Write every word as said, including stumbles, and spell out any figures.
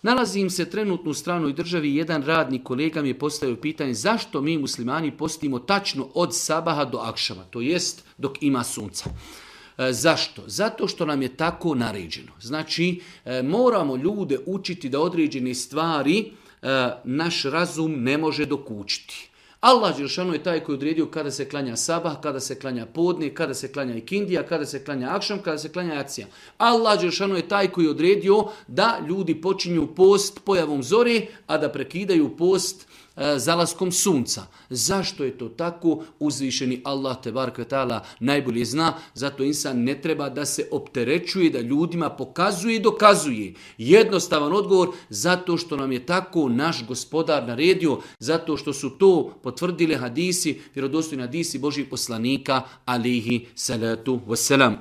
Nalazim se trenutno u stranoj državi, jedan radnik kolega mi je postavio pitanje zašto mi muslimani postimo tačno od sabaha do akšama, to jest dok ima sunca. E, zašto? Zato što nam je tako naređeno. Znači, e, moramo ljude učiti da određene stvari e, naš razum ne može dokučiti. Allah dželešanu je taj koji je odredio kada se klanja sabah, kada se klanja podne, kada se klanja ikindija, kada se klanja akšam, kada se klanja jacija. Allah dželešanu je taj koji je odredio da ljudi počinju post pojavom zore, a da prekidaju post e, zalaskom sunca. Zašto je to tako? Uzvišeni Allah tebarek ve taala najbolje zna, zato insan ne treba da se opterećuje, da ljudima pokazuje i dokazuje. Jednostavan odgovor, zato što nam je tako naš gospodar naredio, zato što su to potvrdili hadisi, vjerodostojni hadisi Božih poslanika, alihi salatu wassalam.